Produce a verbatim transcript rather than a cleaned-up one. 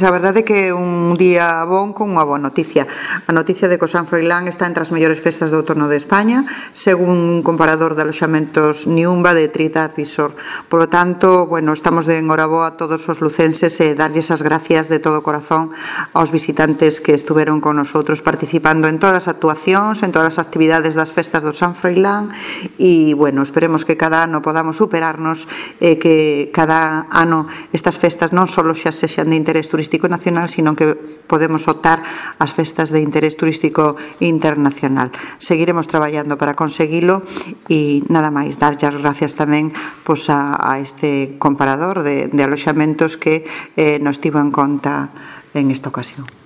A verdade é que é un día bon con unha boa noticia. A noticia de que o San Froilán está entre as mellores festas do outono de España, según un comparador de aloxamentos Niumba de TripAdvisor. Por lo tanto, bueno, estamos de enhoraboa a todos os lucenses e darlles as gracias de todo o corazón aos visitantes que estuveron con nosotros participando en todas as actuacións, en todas as actividades das festas do San Froilán e, bueno, esperemos que cada ano podamos superarnos e que cada ano estas festas non só xa sexan de interés turístico nacional, sino que podemos optar ás festas de interés turístico internacional. Seguiremos traballando para conseguilo e nada máis, darlle as gracias tamén pois, a, a este comparador de, de aloxamentos que eh, nos tivo en conta en esta ocasión.